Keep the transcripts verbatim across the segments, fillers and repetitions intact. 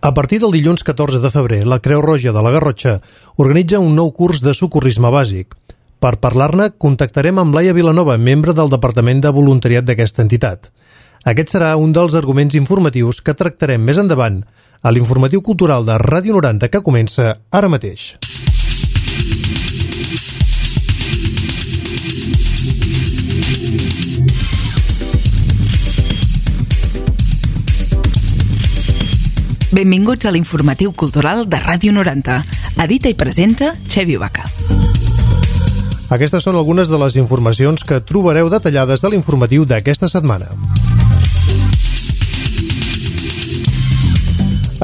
A partir del dilluns catorze de febrer, la Creu Roja de la Garrotxa organitza un nou curs de socorrisme bàsic. Per parlar-ne, contactarem amb Laia Vilanova, membre del Departament de Voluntariat d'aquesta entitat. Aquest serà un dels arguments informatius que tractarem més endavant a l'informatiu cultural de Ràdio noranta que comença ara mateix. Benvinguts a l'informatiu cultural de Ràdio noranta. Edita i presenta Xevi Vaca. Aquestes són algunes de les informacions que trobareu detallades a l'informatiu d'aquesta setmana.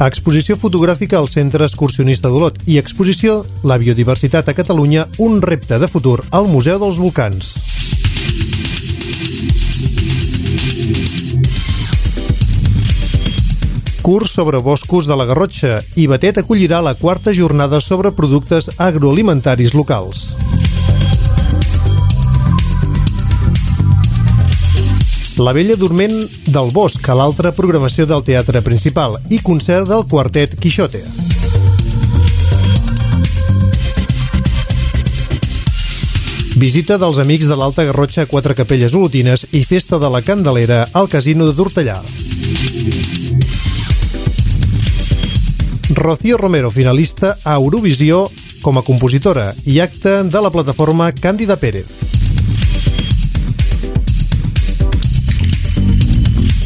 Exposició fotogràfica al Centre Excursionista d'Olot i exposició La biodiversitat a Catalunya, un repte de futur al Museu dels Volcans. Curs sobre boscos de la Garrotxa i Batet acollirà la quarta jornada sobre productes agroalimentaris locals. La Bella Dorment del Bosc, a l'altra programació del teatre principal i concert del quartet Quixote. Visita dels amics de l'Alta Garrotxa a Quatre Capelles Olotines i festa de la Candelera al Casino de Tortellà. Rocío Romero, finalista a Eurovisió com a compositora i acte de la plataforma Càndida Pérez.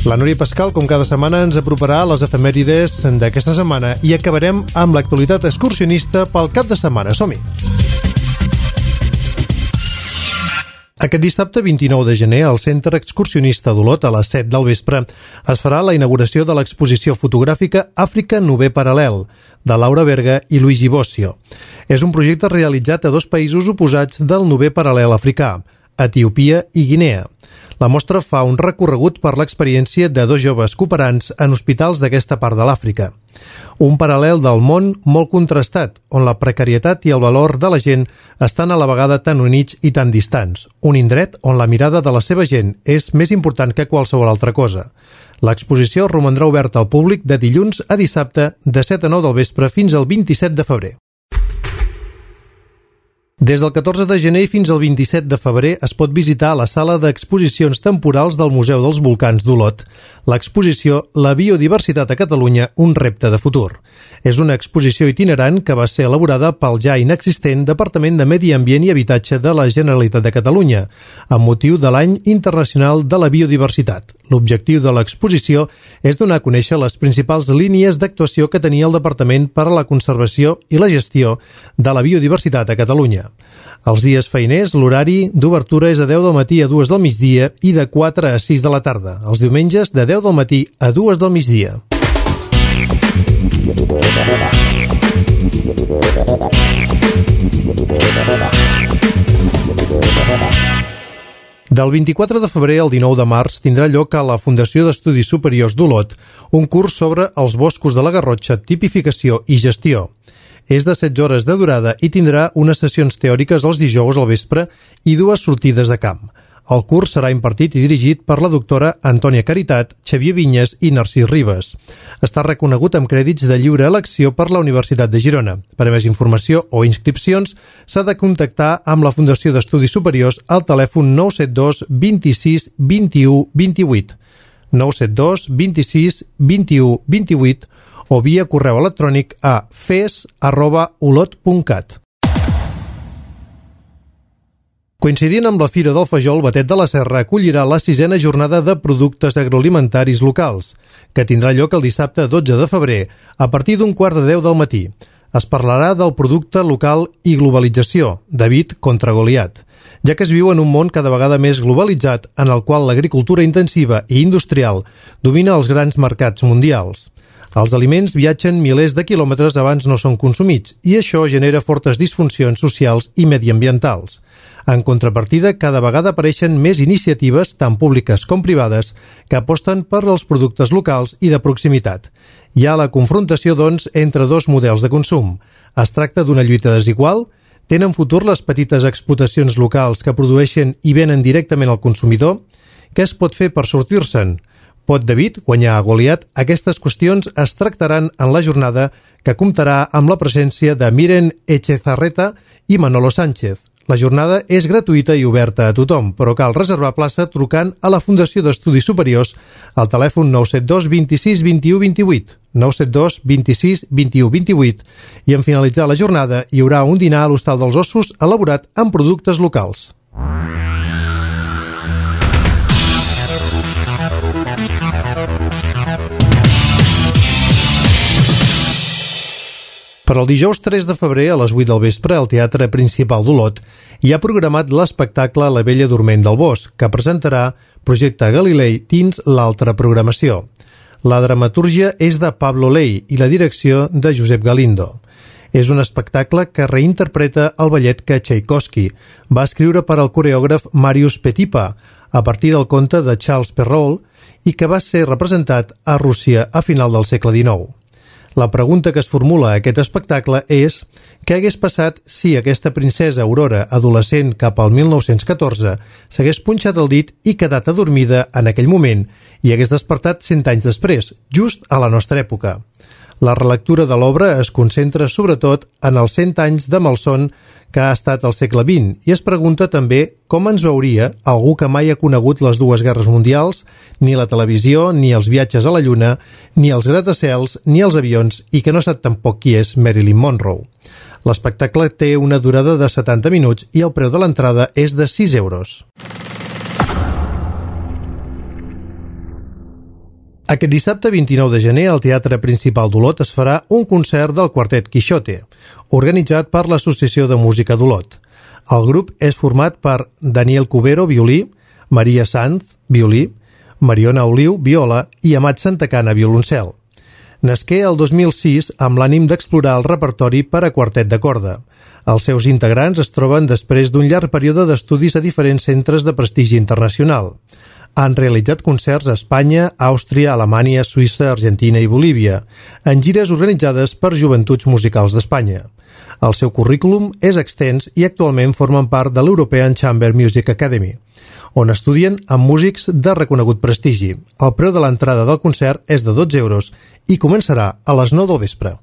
La Núria Pascal, com cada setmana, ens aproparà a les efemèrides d'aquesta setmana i acabarem amb l'actualitat excursionista pel cap de setmana. Som-hi! Aquest dissabte vint-i-nou de gener, al Centre Excursionista d'Olot, a les set del vespre, es farà la inauguració de l'exposició fotogràfica Àfrica Nover Paral·lel, de Laura Berga i Luigi Bossio. És un projecte realitzat a dos països oposats del Nover Paral·lel africà, Etiòpia i Guinea. La mostra fa un recorregut per l'experiència de dos joves cooperants en hospitals d'aquesta part de l'Àfrica. Un paral·lel del món molt contrastat, on la precarietat i el valor de la gent estan a la vegada tan units i tan distants. Un indret on la mirada de la seva gent és més important que qualsevol altra cosa. L'exposició romandrà oberta al públic de dilluns a dissabte de set a nou del vespre fins al vint-i-set de febrer. Des del catorze de gener fins al vint-i-set de febrer es pot visitar la sala d'exposicions temporals del Museu dels Volcans d'Olot, l'exposició La biodiversitat a Catalunya, un repte de futur. És una exposició itinerant que va ser elaborada pel ja inexistent Departament de Medi Ambient i Habitatge de la Generalitat de Catalunya, amb motiu de l'Any Internacional de la Biodiversitat. L'objectiu de l'exposició és donar a conèixer les principals línies d'actuació que tenia el Departament per a la conservació i la gestió de la biodiversitat a Catalunya. Els dies feiners, l'horari d'obertura és de deu del matí a dues del migdia i de quatre a sis de la tarda. Els diumenges, de deu del matí a dues del migdia. Del vint-i-quatre de febrer al dinou de març tindrà lloc a la Fundació d'Estudis Superiors d'Olot un curs sobre els boscos de la Garrotxa, tipificació i gestió. És de setze hores de durada i tindrà unes sessions teòriques els dijous al vespre i dues sortides de camp. El curs serà impartit i dirigit per la doctora Antònia Caritat, Xavier Vinyes i Narcís Ribes. Està reconegut amb crèdits de lliure elecció per la Universitat de Girona. Per a més informació o inscripcions s'ha de contactar amb la Fundació d'Estudis Superiors al telèfon nou set dos vint-i-sis vint-i-u vint-i-vuit, nou set dos vint-i-sis vint-i-u vint-i-vuit o via correu electrònic a fes arroba olot punt cat. Coincidint amb la Fira del Fajol, Batet de la Serra acollirà la sisena jornada de productes agroalimentaris locals, que tindrà lloc el dissabte dotze de febrer, a partir d'un quart de deu del matí. Es parlarà del producte local i globalització, David contra Goliat, ja que es viu en un món cada vegada més globalitzat en el qual l'agricultura intensiva i industrial domina els grans mercats mundials. Els aliments viatgen milers de quilòmetres abans no són consumits i això genera fortes disfuncions socials i mediambientals. En contrapartida, cada vegada apareixen més iniciatives, tant públiques com privades, que aposten per als productes locals i de proximitat. Hi ha la confrontació, doncs, entre dos models de consum. Es tracta d'una lluita desigual? Tenen futur les petites explotacions locals que produeixen i venen directament al consumidor? Què es pot fer per sortir-se'n? Pot David guanyar a Goliat? Aquestes qüestions es tractaran en la jornada que comptarà amb la presència de Miren Echezarreta i Manolo Sánchez. La jornada és gratuïta i oberta a tothom, però cal reservar plaça trucant a la Fundació d'Estudis Superiors al telèfon nou set dos vint sis vint u vint vuit, nou set dos vint sis vint u vint vuit, i en finalitzar la jornada hi haurà un dinar a l'Hostal dels Ossos elaborat amb productes locals. Per al dijous tres de febrer a les vuit del vespre al Teatre Principal d'Olot hi ha programat l'espectacle La Bella Dorment del Bosc, que presentarà Projecte Galilei dins l'altra programació. La dramatúrgia és de Pablo Ley i la direcció de Josep Galindo. És un espectacle que reinterpreta el ballet que Tchaikovsky va escriure per al coreògraf Marius Petipa a partir del conte de Charles Perrault i que va ser representat a Rússia a final del segle dinou. La pregunta que es formula a aquest espectacle és què hagués passat si aquesta princesa Aurora, adolescent cap al mil nou-cents catorze, s'hagués punxat el dit i quedat adormida en aquell moment i hagués despertat cent anys després, just a la nostra època. La relectura de l'obra es concentra sobretot en els cent anys de malson que ha estat al segle vint i es pregunta també com ens veuria algú que mai ha conegut les dues guerres mundials, ni la televisió, ni els viatges a la Lluna, ni els gratacels, ni els avions i que no sap tampoc qui és Marilyn Monroe. L'espectacle té una durada de setanta minuts i el preu de l'entrada és de sis euros. Aquest dissabte vint-i-nou de gener al Teatre Principal d'Olot es farà un concert del Quartet Quixote, organitzat per l'Associació de Música d'Olot. El grup és format per Daniel Cubero, violí, Maria Sanz, violí, Mariona Oliu, viola i Amat Santacana, violoncel. Nasqué el dos mil sis amb l'ànim d'explorar el repertori per a quartet de corda. Els seus integrants es troben després d'un llarg període d'estudis a diferents centres de prestigi internacional. Han realitzat concerts a Espanya, Àustria, Alemanya, Suïssa, Argentina i Bolívia, en gires organitzades per Joventuts Musicals d'Espanya. El seu currículum és extens i actualment formen part de l'European Chamber Music Academy, on estudien amb músics de reconegut prestigi. El preu de l'entrada del concert és de dotze euros i començarà a les nou del vespre.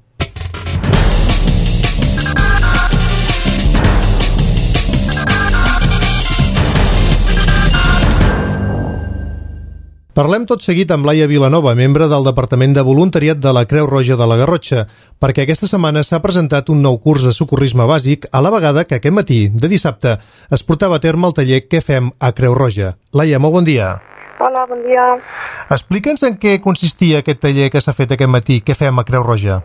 Parlem tot seguit amb Laia Vilanova, membre del Departament de Voluntariat de la Creu Roja de la Garrotxa, perquè aquesta setmana s'ha presentat un nou curs de socorrisme bàsic a la vegada que aquest matí, de dissabte, es portava a terme el taller Què fem a Creu Roja. Laia, molt bon dia. Hola, bon dia. Explica'ns en què consistia aquest taller que s'ha fet aquest matí, Què fem a Creu Roja?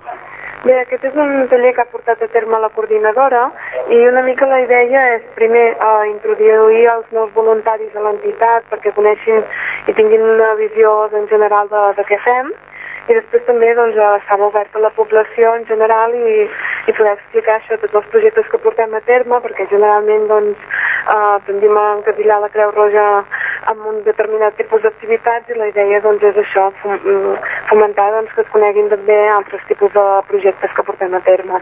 Bé, aquest és un taller que ha portat a terme la coordinadora i una mica la idea és primer eh, introduir els nous voluntaris a l'entitat perquè coneixin i tinguin una visió en general de, de què fem i després també doncs, estar obert a la població en general i, i poder explicar això, tots els projectes que portem a terme perquè generalment doncs, eh, tendim a encasillar la Creu Roja amb un determinat tipus d'activitats i la idea doncs, és això, fomentar doncs, que es coneguin també altres tipus de projectes que portem a terme.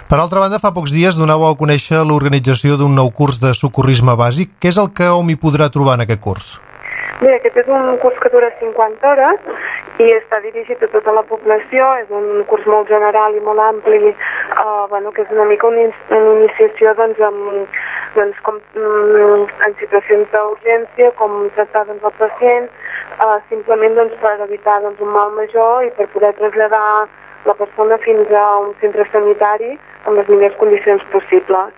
Per altra banda, fa pocs dies donàveu a conèixer l'organització d'un nou curs de socorrisme bàsic. Què és el que hom hi podrà trobar en aquest curs? Bé, aquest és un curs que dura cinquanta hores i està dirigit a tota la població, és un curs molt general i molt ampli, eh, bueno, que és una mica una, una iniciació doncs, amb, doncs, com, mm, en situacions d'urgència, com tractar doncs, el pacient, eh, simplement doncs, per evitar doncs, un mal major i per poder traslladar la persona fins a un centre sanitari amb les millors condicions possibles.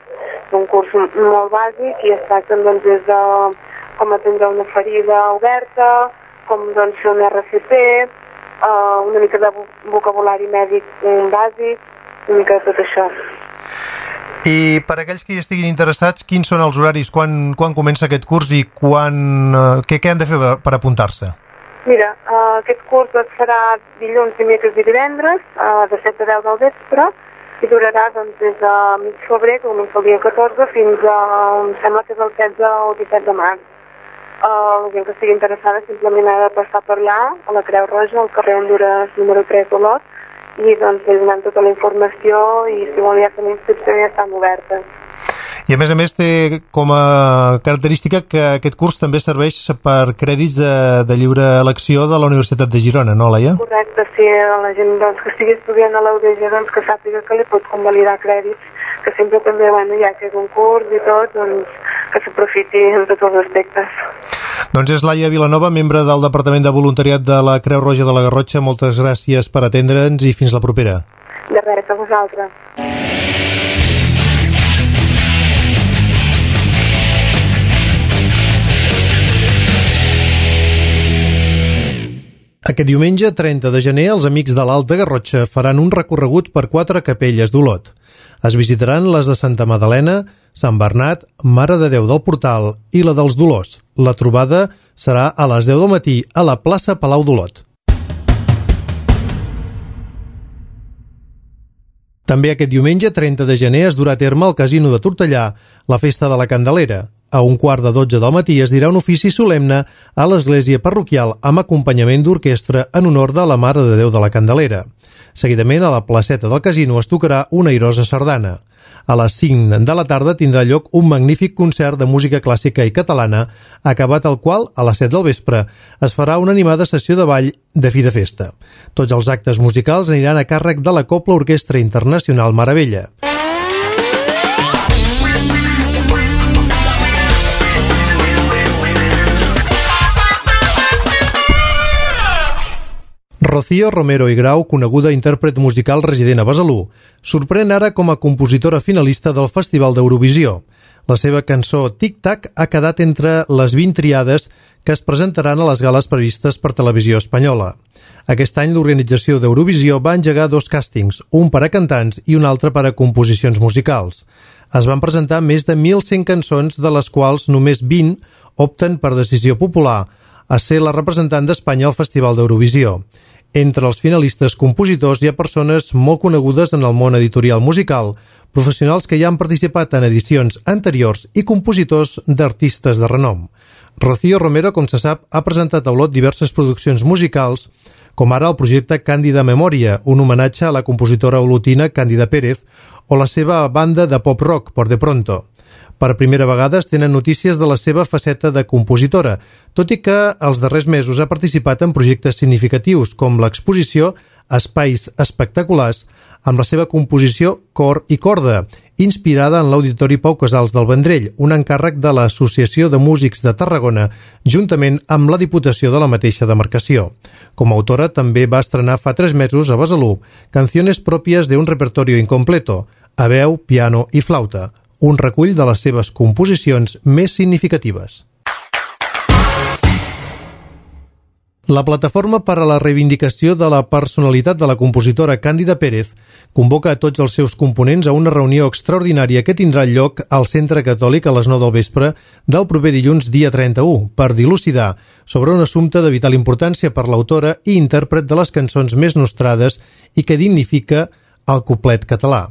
És un curs molt bàsic i es tracta doncs, des de com atendre una ferida oberta, com doncs, fer un R C P, uh, una mica de vocabulari mèdic bàsic, una mica de tot això. I per aquells que hi estiguin interessats, quins són els horaris? Quan, quan comença aquest curs i quan, uh, què, què han de fer per apuntar-se? Mira, uh, aquest curs es farà dilluns, dimecres i divendres, uh, de set a deu del vespre, i durarà doncs, des de mig febrer, que comença el dia catorze, fins a, em sembla que és el setze o disset de març. Uh, la gent que estigui interessada simplement ha de passar per allà, a la Creu Roja, al carrer Hondures número tres d'Olot, i doncs li donem tota la informació i si vol ja fer la inscripció ja estan obertes. I a més a més té com a característica que aquest curs també serveix per crèdits de, de lliure elecció de la Universitat de Girona, no, Laia? Correcte, sí, la gent doncs, que estigui estudiant a l'U D G doncs, que sàpiga que li pot convalidar crèdits, que sempre també, bueno, ja que és un curs i tot, doncs que s'aprofiti en tots els aspectes. Doncs és Laia Vilanova, membre del Departament de Voluntariat de la Creu Roja de la Garrotxa. Moltes gràcies per atendre'ns i fins la propera. De res, a vosaltres. Aquest diumenge, trenta de gener, els amics de l'Alta Garrotxa faran un recorregut per quatre capelles d'Olot. Es visitaran les de Santa Madalena, Sant Bernat, Mare de Déu del Portal i la dels Dolors. La trobada serà a les deu del matí a la plaça Palau d'Olot. També aquest diumenge, trenta de gener, es durà a terme al Casino de Tortellà la Festa de la Candelera. A un quart de dotze del matí es dirà un ofici solemne a l'església parroquial amb acompanyament d'orquestra en honor de la Mare de Déu de la Candelera. Seguidament, a la placeta del casino es tocarà una airosa sardana. A les cinc de la tarda tindrà lloc un magnífic concert de música clàssica i catalana, acabat el qual, a les set del vespre, es farà una animada sessió de ball de fi de festa. Tots els actes musicals aniran a càrrec de la Cobla Orquestra Internacional Maravella. Rocío Romero i Grau, coneguda intèrpret musical resident a Besalú, sorprèn ara com a compositora finalista del Festival d'Eurovisió. La seva cançó Tic Tac ha quedat entre les vint triades que es presentaran a les gales previstes per Televisió Espanyola. Aquest any l'organització d'Eurovisió va engegar dos càstings, un per a cantants i un altre per a composicions musicals. Es van presentar més de mil cent cançons, de les quals només vint opten per decisió popular a ser la representant d'Espanya al Festival d'Eurovisió. Entre els finalistes compositors hi ha persones molt conegudes en el món editorial musical, professionals que ja han participat en edicions anteriors i compositors d'artistes de renom. Rocío Romero, com se sap, ha presentat a Olot diverses produccions musicals, com ara el projecte Càndida Memòria, un homenatge a la compositora olotina Càndida Pérez, o la seva banda de pop-rock, Por de Pronto. Per primera vegada es tenen notícies de la seva faceta de compositora, tot i que els darrers mesos ha participat en projectes significatius, com l'exposició Espais Espectaculars, amb la seva composició Cor i Corda, inspirada en l'Auditori Pau Casals del Vendrell, un encàrrec de l'Associació de Músics de Tarragona, juntament amb la Diputació de la mateixa demarcació. Com a autora també va estrenar fa tres mesos a Besalú Canciones pròpies de un repertorio incompleto, a veu, piano i flauta, un recull de les seves composicions més significatives. La Plataforma per a la Reivindicació de la Personalitat de la compositora Càndida Pérez convoca a tots els seus components a una reunió extraordinària que tindrà lloc al Centre Catòlic a les nou del vespre del proper dilluns dia trenta-u per dilucidar sobre un assumpte de vital importància per l'autora i intèrpret de les cançons més nostrades i que dignifica el cuplet català.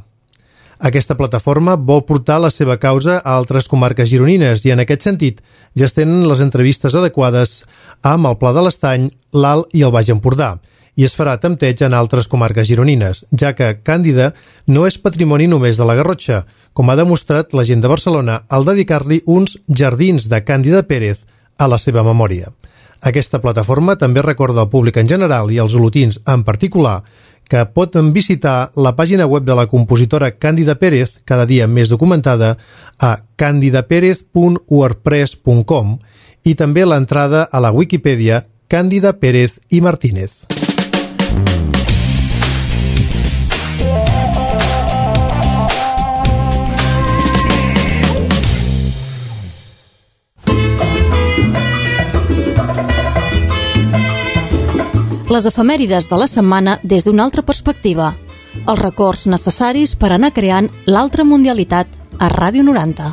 Aquesta plataforma vol portar la seva causa a altres comarques gironines i, en aquest sentit, ja es tenen les entrevistes adequades amb el Pla de l'Estany, l'Alt i el Baix Empordà, i es farà tempteig en altres comarques gironines, ja que Càndida no és patrimoni només de la Garrotxa, com ha demostrat la gent de Barcelona al dedicar-li uns jardins de Càndida Pérez a la seva memòria. Aquesta plataforma també recorda al públic en general i als olotins en particular que poden visitar la pàgina web de la compositora Càndida Pérez, cada dia més documentada, a candidapérez punt wordpress punt com i també l'entrada a la Wikipedia Càndida Pérez i Martínez. Les efemèrides de la setmana des d'una altra perspectiva. Els records necessaris per anar creant l'altra mundialitat a Ràdio noranta.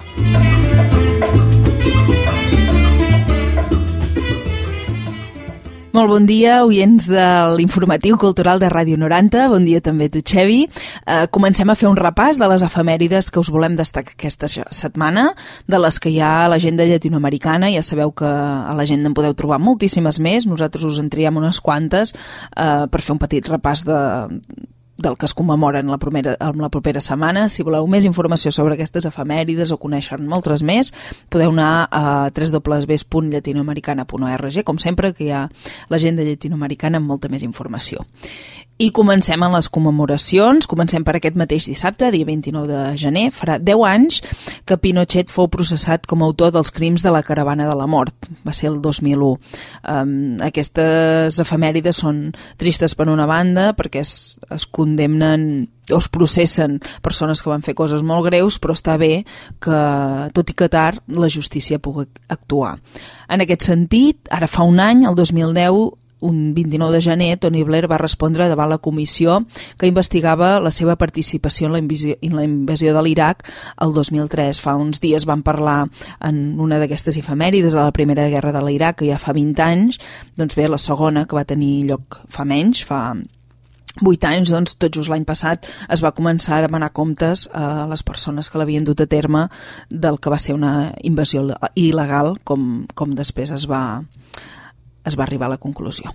Molt bon dia, oients de l'informatiu cultural de Ràdio noranta. Bon dia també a tu, Xevi. Eh, comencem a fer un repàs de les efemèrides que us volem destacar aquesta setmana, de les que hi ha a l'agenda llatinoamericana. Ja sabeu que a l'agenda en podeu trobar moltíssimes més. Nosaltres us en triem unes quantes eh, per fer un petit repàs de... del que es commemora en la, primera, en la propera setmana. Si voleu més informació sobre aquestes efemèrides o conèixer moltes més, podeu anar a w w w punt llatinoamericana punt org, com sempre, que hi ha l'agenda llatinoamericana amb molta més informació. I comencem amb les commemoracions. Comencem per aquest mateix dissabte, dia vint-i-nou de gener. Farà deu anys que Pinochet fou processat com a autor dels crims de la Caravana de la Mort. Va ser el dos mil u. Um, aquestes efemèrides són tristes per una banda, perquè es, es condemnen o es processen persones que van fer coses molt greus, però està bé que, tot i que tard, la justícia pugui actuar. En aquest sentit, ara fa un any, el dos mil deu, un vint-i-nou de gener, Tony Blair va respondre davant la comissió que investigava la seva participació en la, invasió, en la invasió de l'Iraq el dos mil tres. Fa uns dies van parlar en una d'aquestes efemèrides de la Primera Guerra de l'Iraq, que ja fa vint anys, doncs bé, la segona, que va tenir lloc fa menys, fa vuit anys, doncs tot just l'any passat es va començar a demanar comptes a les persones que l'havien dut a terme del que va ser una invasió il·legal, com, com després es va... es va arribar a la conclusió.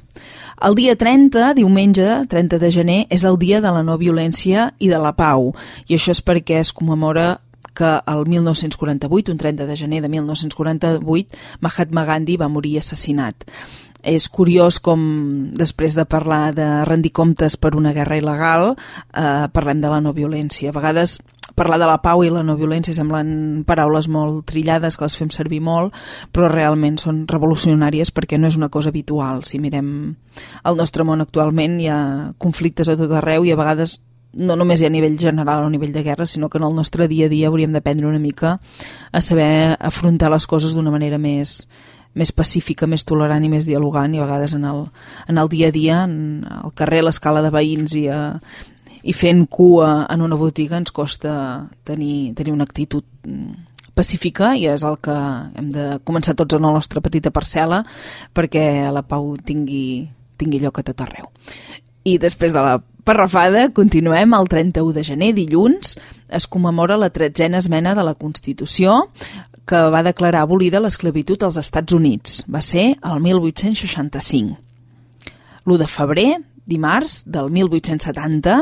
El dia trenta, diumenge, trenta de gener, és el dia de la no violència i de la pau, i això és perquè es commemora que el mil nou-cents quaranta-vuit, un trenta de gener de mil nou-cents quaranta-vuit, Mahatma Gandhi va morir assassinat. És curiós com, després de parlar de rendir comptes per una guerra il·legal, eh, parlem de la no violència. A vegades parlar de la pau i la no violència semblen paraules molt trillades, que les fem servir molt, però realment són revolucionàries perquè no és una cosa habitual. Si mirem el nostre món actualment, hi ha conflictes a tot arreu i a vegades no només hi ha a nivell general o a nivell de guerra, sinó que en el nostre dia a dia hauríem d'aprendre una mica a saber afrontar les coses d'una manera més, més pacífica, més tolerant i més dialogant, i a vegades en el, en el dia a dia, en el carrer, a l'escala de veïns i a i fent cua en una botiga ens costa tenir, tenir una actitud pacífica, i és el que hem de començar tots en la nostra petita parcel·la perquè la pau tingui, tingui lloc a tot arreu. I després de la parrafada continuem. El trenta-u de gener, dilluns, es commemora la tretzena esmena de la Constitució que va declarar abolida l'esclavitud als Estats Units. Va ser el mil vuit-cents seixanta-cinc. l'u de febrer, dimarts del mil vuit-cents setanta,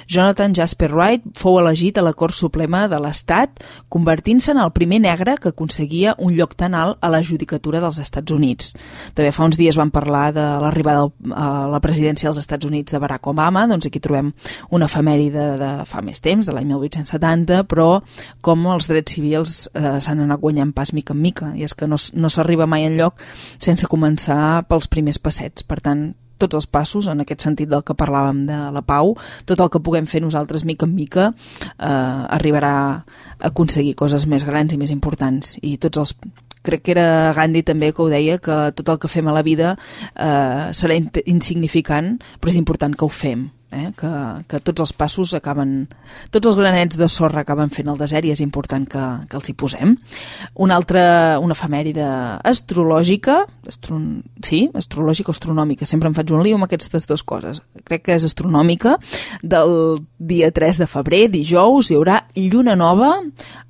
Jonathan Jasper Wright fou elegit a la Cort Suprema de l'Estat, convertint-se en el primer negre que aconseguia un lloc tan alt a la judicatura dels Estats Units. També fa uns dies vam parlar de l'arribada a la presidència dels Estats Units de Barack Obama, doncs aquí trobem una efemèride de fa més temps, de l'any mil vuit-cents setanta, però com els drets civils eh, s'han anat guanyant pas mica en mica, i és que no, no s'arriba mai enlloc sense començar pels primers passets. Per tant, tots els passos, en aquest sentit del que parlàvem de la pau, tot el que puguem fer nosaltres mica en mica eh, arribarà a aconseguir coses més grans i més importants. I tots els... Crec que era Gandhi també que ho deia, que tot el que fem a la vida eh, serà insignificant, però és important que ho fem. Eh? Que, que tots els passos acaben, tots els granets de sorra acaben fent el desert, i és important que, que els hi posem. Una altra, una efemèride astrològica, astron, sí, astrològica o astronòmica, sempre em faig un lío amb aquestes dues coses. Crec que és astronòmica. Del dia tres de febrer, dijous, hi haurà lluna nova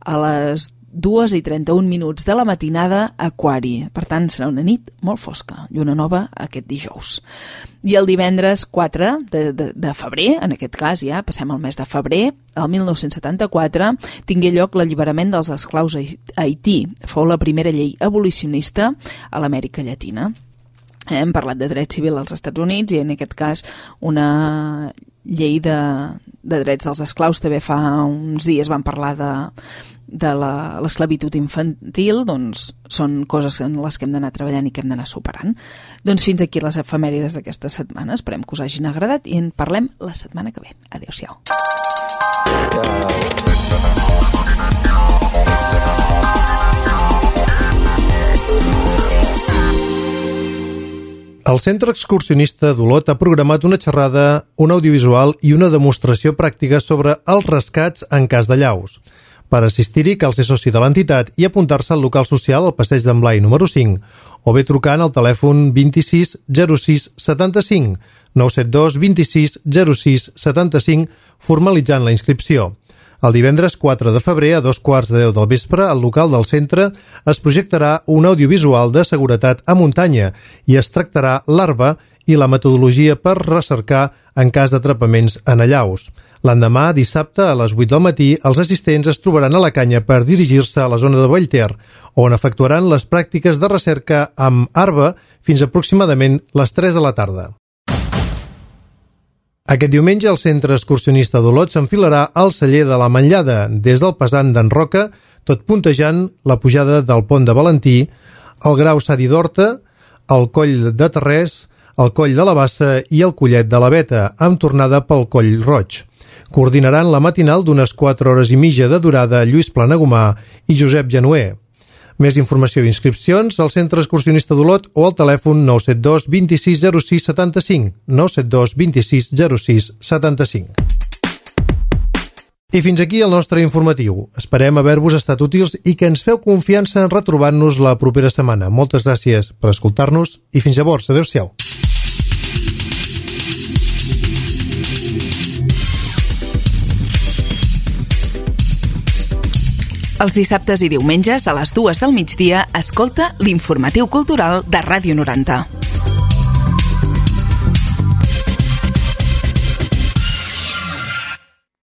a les dues i trenta-un minuts de la matinada a Aquari. Per tant, serà una nit molt fosca, lluna nova aquest dijous. I el divendres quatre de, de, de febrer, en aquest cas ja passem al mes de febrer, el mil nou-cents setanta-quatre, tingué lloc l'alliberament dels esclaus a Haití. Fou la primera llei abolicionista a l'Amèrica Llatina. Hem parlat de dret civil als Estats Units i en aquest cas una llei de, de drets dels esclaus. També fa uns dies vam parlar de, de l'esclavitud infantil. Doncs són coses en les que hem d'anar treballant i que hem d'anar superant. Doncs fins aquí les efemèrides d'aquesta setmana. Esperem que us hagin agradat i en parlem la setmana que ve. Adéu-siau. El Centre Excursionista d'Olot ha programat una xerrada, un audiovisual i una demostració pràctica sobre els rescats en cas de llaus. Per assistir-hi cal ser soci de l'entitat i apuntar-se al local social al passeig d'en Blai número cinc, o bé trucant al telèfon vint-i-sis zero sis setanta-cinc, nou set dos vint-i-sis zero sis setanta-cinc, formalitzant la inscripció. El divendres quatre de febrer, a dos quarts de deu del vespre, al local del centre es projectarà un audiovisual de seguretat a muntanya i es tractarà l'arba i la metodologia per recercar en cas d'atrapaments en allaus. L'endemà, dissabte, a les vuit del matí, els assistents es trobaran a la canya per dirigir-se a la zona de Vallter, on efectuaran les pràctiques de recerca amb arba fins aproximadament les tres de la tarda. Aquest diumenge el centre excursionista d'Olot s'enfilarà al celler de la Manllada, des del pesant d'en Roca, tot puntejant la pujada del pont de Valentí, el Grau Sadi d'Horta, el Coll de Terrés, el Coll de la Bassa i el Collet de la Veta, amb tornada pel Coll Roig. Coordinaran la matinal d'unes quatre hores i mitja de durada Lluís Planagumà i Josep Genuer. Més informació i inscripcions al Centre Excursionista d'Olot o al telèfon nou set dos vint sis zero sis setanta-cinc, nou set dos vint sis zero sis setanta-cinc. I fins aquí el nostre informatiu. Esperem haver-vos estat útils i que ens feu confiança en retrobar-nos la propera setmana. Moltes gràcies per escoltar-nos i fins llavors. Adéu-siau. Els dissabtes i diumenges a les dues del migdia escolta l'Informatiu Cultural de Ràdio noranta.